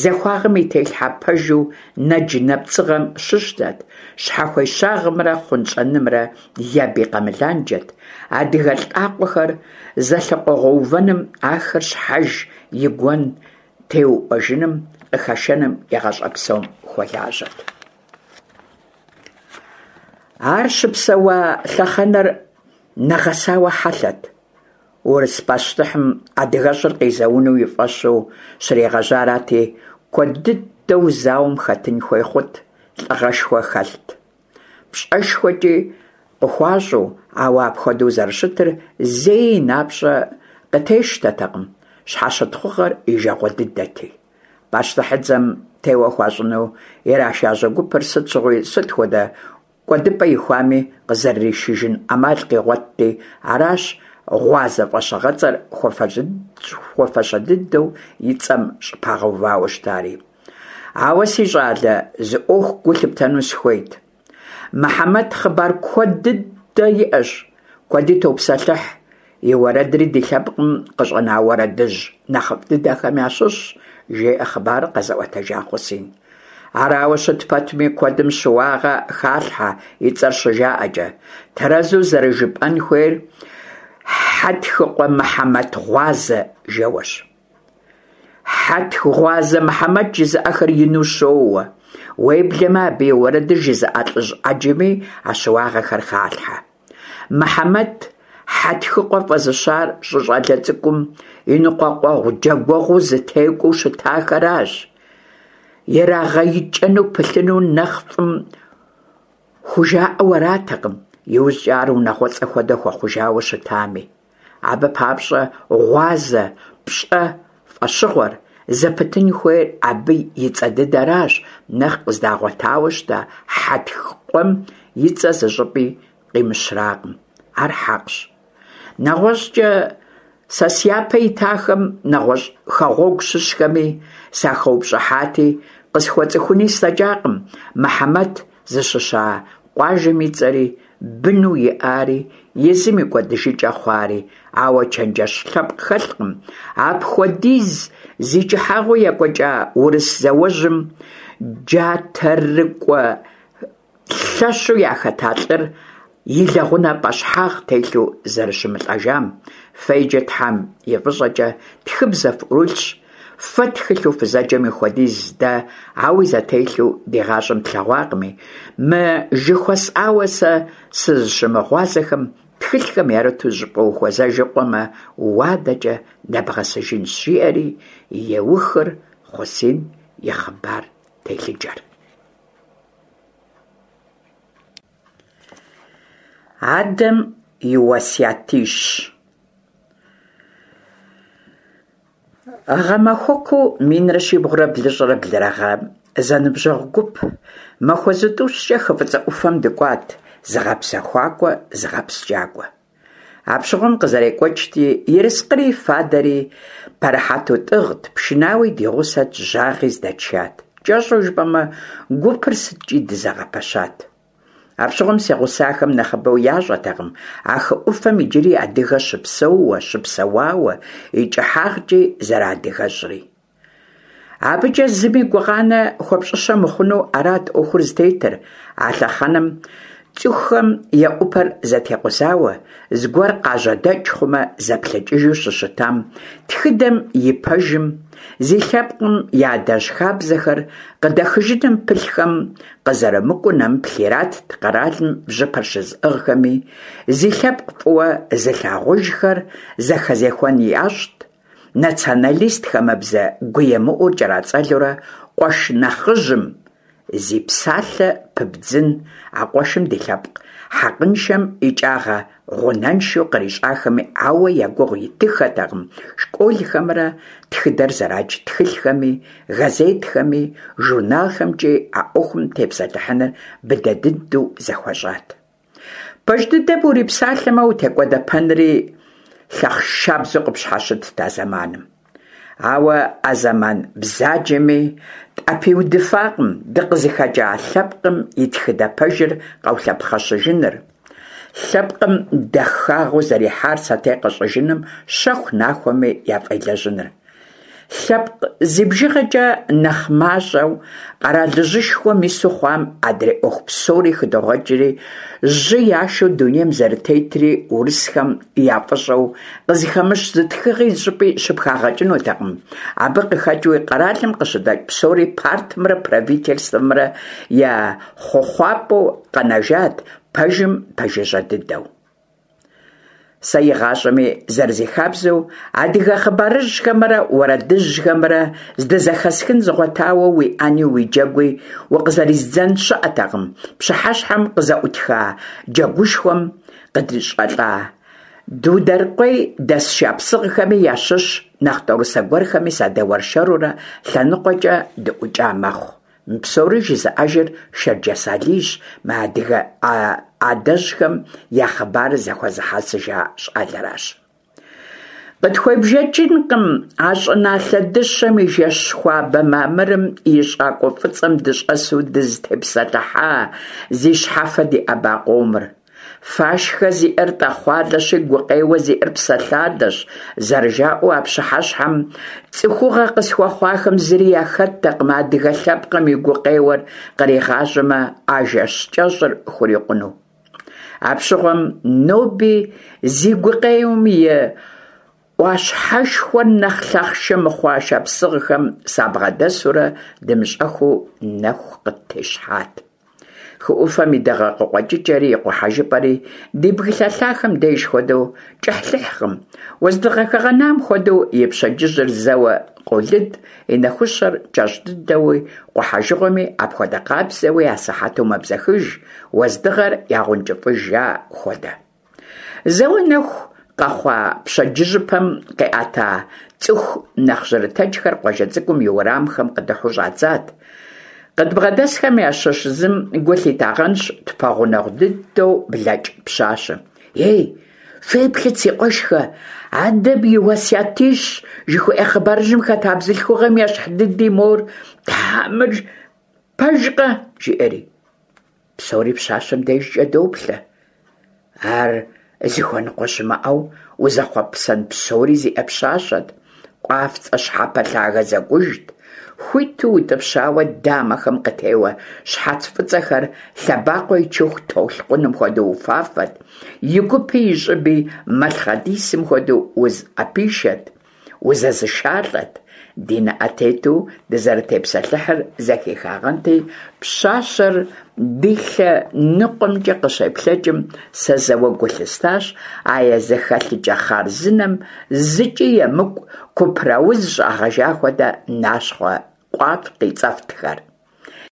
захуагъэм и телъхьэ пэжу нэдж-нэпцӀыгъэм щыщтэт, щхьэхуещагъымрэ хъунщӀэнымрэ я бий къэмыланджэт, адыгэ лӀакъуэхэр зэлъыкъуэгъэувэным, ахэр щхьэж и гуэн теуӀуэжыным къыхэшэным и гъащӀэ псом хуэлажьэт. Ар щыпсэуа лъэхъэнэр нэгъэсауэ хьэлъэт. Урыс пащтыхьым адыгэщӀыр къизэуну и фӀэщу щригъэжьарати, куэд дыдэу зауэм хэтын хуей хъут, лӀыгъэшхуэ хэлът, пщӀэшхуэкӀи къыхуащӀу, ауэ апхуэдэу зэрыщытыр зэи и напщӀэ къытещтэтэкъым, щхьэщытхъугъэр и жагъуэ дыдэти. Пащтыхьыдзэм теуэ хуащӀыну ирашажьэ гупыр сыт щыгъуи сыт хуэдэ кӀуэдыпӀэ ихуами, къызэрыришыжын Ӏэмал къигъуэтти, аращ гъуазэ фӀэщыгъэцӀэр хуэфащэ дыдэу и цӀэм щӀыпагъэувауэ щытари. Ауэ, си щӀалэ, зы Ӏуэху гу лъыптэну сыхуейт. Мыхьэмэт хъыбар куэд дыдэ иӀэщ, куэди топсэлъыхь, и уэрэдри ди лъэпкъым къыщӀэна уэрэдыжь нэхъыфӀ дыдэхэм ящыщщ, жеӀэ хъыбарыр къэзыӀуэтэжа Хъусин. Арауэ щыт пэтми, куэдым щыуагъэ халъхьэ и цӀэр щыжаӀэкӀэ. Тэрэзу зэрыжыпӀэн хуейр Хьэтхыкъуэ Мыхьэмэт Гъуазэ жэуэщ. Хьэтх Гъуазэ Мыхьэмэт жызыӀэхэр ину щоуэ. Уеблэмэ абы и уэрэдыр жызыӀэ лӀыжь Ӏэджэми а щыуагъэхэр халъхьэ. Мыхьэмэт Хьэтхыкъуэ фӀэзыщар щыщӀалэ цӀыкӀум и ныкъуэкъуэгъу-джэгуэгъуу зытекӀуэу щытахэращ. ИрагъэикӀэну пылъыну нэхъ фӀым хужаӀэу аратэкъым, иужькӀэ ар унагъуэцӀэ хуэдэ хуэхъужауэ щытами. Абы папщӀэ гъуазэ, пщӀэ фӀэщыгъуэр зыпытын хуейр абы и цӀэ дыдэращ, нэхъ къыздагъуэтауэ щыта Хьэтх-къуэм и цӀэ зыщӀыпӀи къимыщракъым. Ар хьэкъщ. НэгъуэщӀкӀэ сэ сяпэ итахэм, нэгъуэщӀ хэгъуэгу щыщхэми сахэупщӀыхьати, къысхуэцӀыхуни слъэкӀакъым Мыхьэмэт зыщыща къуажэм и цӀэри, быну иӀари, езым и кӀуэдыжыкӀэ хъуари, ауэ чэнджэщ лъэпкъ хэлъкъым апхуэдиз зи кӀыхьагъыу екӀуэкӀа урыс зауэжьым джатэрыкӀуэ лъэщу яхэта лӀыр и лэгъунэ пӀэщхьагъ телъу зэрыщымылӀэжам. Фэ иджы Тхьэм и фӀыщӀэкӀэ тхыбзэ фӀурылъщ, фэ тхылъу фызэджэм и хуэдиз дэ ауи зэтелъу ди гъащӀэм тлъэгъуакъыми, мы жыхуэсӀауэ сэ сызыщымыгъуазэхэм тхылъхэм ярыту зыщӀыпӀэ ухуэзэжыкъуэмэ, уадэкӀэ нэбгъэсыжынщ, жиӀэри еухыр Хъусин и хъыбар телъыджэр. Адэм и уэсятищ. Гъэмахуэкуу минрэ щибгъурэ блыщӀрэ блырэ гъэм зэныбжьэгъу гуп махуэ зытӀущкӀэ хы ФӀыцӀэ Ӏуфэм дыкӀуат зыгъэпсэхуакӀуэ, зыгъэпскӀакӀуэ. Апщыгъуэм къызэрекӀуэкӀти, ерыскъыри фадэри пэрыхьэту тӀыгът, пшынауи ди гъусэт, жьагъи здэтшат. КӀэщӀу жыпӀэмэ, гупыр сыткӀи дызэгъэпэщат. Апщыгъуэм си гъусахэм нэхъыбэу ящӀэтэкъым а хы Ӏуфэм иджыри адыгэ щыпсэууэ, щыпсэуауэ, и кӀыхьагъкӀи зэрыадыгэщӀри. АбыкӀэ зыми гукъанэ хуэпщӀыщэ мыхъуну арат Ӏуэхур зытетыр. А лъэхъэнэм Цӏыхухэм я ӏупэр зэтекъузауэ, зыгуэр къажьэдэкӏ хъумэ, зэплъэкӏыжу щыщытам, тхыдэм и пэжым, зи лъэпкъым и адэжь хабзэхэр къыдэхыжыным пылъхэм къызэрымыкӏуэу нэмыплъ иратт къэралым бжьыпэр щызыӏыгъхэми, зи лъэпкъ фӏыуэ зылъагъужхэр зэхэзехуэн ящӏт, националист хамэбзэ гуемыӏур кӏэрацӏэлурэ, къуэш нэхъыжьым зи псалъэ пыбдзын а къуэшым ди лъэпкъ хьэкъыншэм икӏагъэ гъунэншэу кърищӏахэми ауэ я гугъу итыххэтэкъым школхэмрэ тхыдэр зэрадж тхылъхэми, газетхэми, журналхэмкӏи а ӏуэхум тепсэлъыхьыныр быдэ дыдэу зэхуэщӏат. Пэж дыдэм урипсалъэмэ, утекӏуэдэпэнри лъахъшабзэу къыпщхьэщытт а зэманым. Ауэ а зэман бзаджэми тӏэпиудыфакъым дыкъызыхэкӏа лъэпкъым и тхыдэ пэжыр къэулъэпхъэщыжыныр, лъэпкъым дахагъэу зэрихьар сэтей къэщӏыжыным щэху-нахуэми яфӏелэжьыныр. Лъэпкъ зи бжыгъэкӏэ нэхъ мащӏэу къэралыжьышхуэм ису хъуам адрей ӏуэху псори хыдогъэкӏри, жьы яшэу дунейм зэрытетри урысхэм я фӏыщӏэу къызыхэмыщ зы тхыгъи зыщӏыпӏи щыпхагъэкӏынутэкъым. Абы къыхэкӏыуи къэралым къыщыдэкӏ псори партымрэ правительствэмрэ я хъуэхъуапӏэу къэнэжат, пэжым пэжыжьэ дыдэу. Сэ игъащӏэми зэрызихабзэу адыгэ хъыбарыжьхэмрэ уэрэдыжьхэмрэ здызэхэсхын згъуэтауэ уи ӏэни уи джэгуи укъызэриздзэн щыӏэтэкъым. Пщыхьэщхьэм къызэӏутха джэгушхуэм къыдрищӏылӏа Дудэрыкъуей дэс шапсыгъхэми ящыщ нэхъ тӏорысэ гуэрхэми садэуэршэрурэ лъэныкъуэкӏэ дыӏукӏа мэхъу. Мы псори жызыӏэжыр Шэрджэс Алийщ, мы адыгэ адэжьхэм я хъыбарыр зэхуэзыхьэсыжа щӏалэращ. Къытхуебжэкӏынкъым а щӏыналъэ дыщэм и жэщ хуабэ мамырым и щӏакӏуэ фӏыцӏэм дыщӏэсу дызытепсэлъыхьа, зи щхьэфэ диӏэба къомыр. Фашхэ зиӏэр тӏэхъуалэщи, гукъеуэ зиӏэр псэлъалэщ, зэрыжаӏэу а пщыхьэщхьэм цӏыхугъэ къысхуэхъуахэм зыри яхэттэкъым адыгэ лъэпкъым и гукъеуэр къригъажьэмэ, а жэщ кӏэщӏыр хурикъуну. Апщыгъуэм ноби зи гукъеуэм и ӏуащхьэшхуэр нэхъ лъахъшэ мыхъуа шапсыгъхэм сабгъэдэсурэ дымыщӏэххэу нэху къыттещхьат. Хы ӏуфэм и дыгъэ къыкъуэкӏыкӏэри и къухьэжыпӏэри ди бгылъэ лъахэм деж хуэдэу кӏыхьлӏыхькъым. Уэздыгъэ хэгъэнам хуэдэу и пщэдджыжьыр зэуэ къолыд, и нэхущэр кӏэщӏ дыдэуи, къухьэжыгъуэми апхуэдэ къабзэуи асыхьэту мэбзэхыж, уэздыгъэр ягъэункӏыфӏыжа хуэдэ. Зэуэ нэху къэхъуа пщэдджыжьыпэм къиӏэта цӏыху нэхъ жьырытэджхэр къуажэ цӏыкӏум и уэрамхэм къыдыхьэу щӏадзат. Къыдбгъэдэсхэм ящыщ зым гу лъитагъэнщ тпэгъунэгъу дыдэу блэкӏ пщащэм. «Ей, феплъыт, си къуэшхэ, адэм и уэсятищ жыхуиӏэ хъыбарыжьым хэта бзылъхугъэм ещхь дыди мор, тхьэ, мыр пэжкъэ?» жиӏэри. Псори пщащэм дежкӏэ доплъэ. Ар зыхуэныкъуэ щымыӏэу узэхъуэпсэн псори зиӏэ пщащэт. Къуафцӏэ щхьэпэ лъагэ зэкӏужт, хуиту утӏыпщауэ дамэхэм къытеуэ щхьэц фӏыцӏэхэр лъэбакъуэ ичыху толъкъуным хуэдэу уфафэт, и гупи и щӏыби мэлъхъэдисым хуэдэу узыӏэпишэт, узэзышалӏэт. Ди нэӏэ тету дызэрытепсэлъыхьыр зэхихагъэнти, пщащэр ди лъэ ныкъуэмкӏэ къыщеплъэкӏым, сэ зэуэ гу лъыстащ а я зэхэлъыкӏэ хъарзынэм зыкӏи емыкӏу купрауз щӏагъэжа хуэдэ нащхъуэ къуаф къицӏэфтхэр.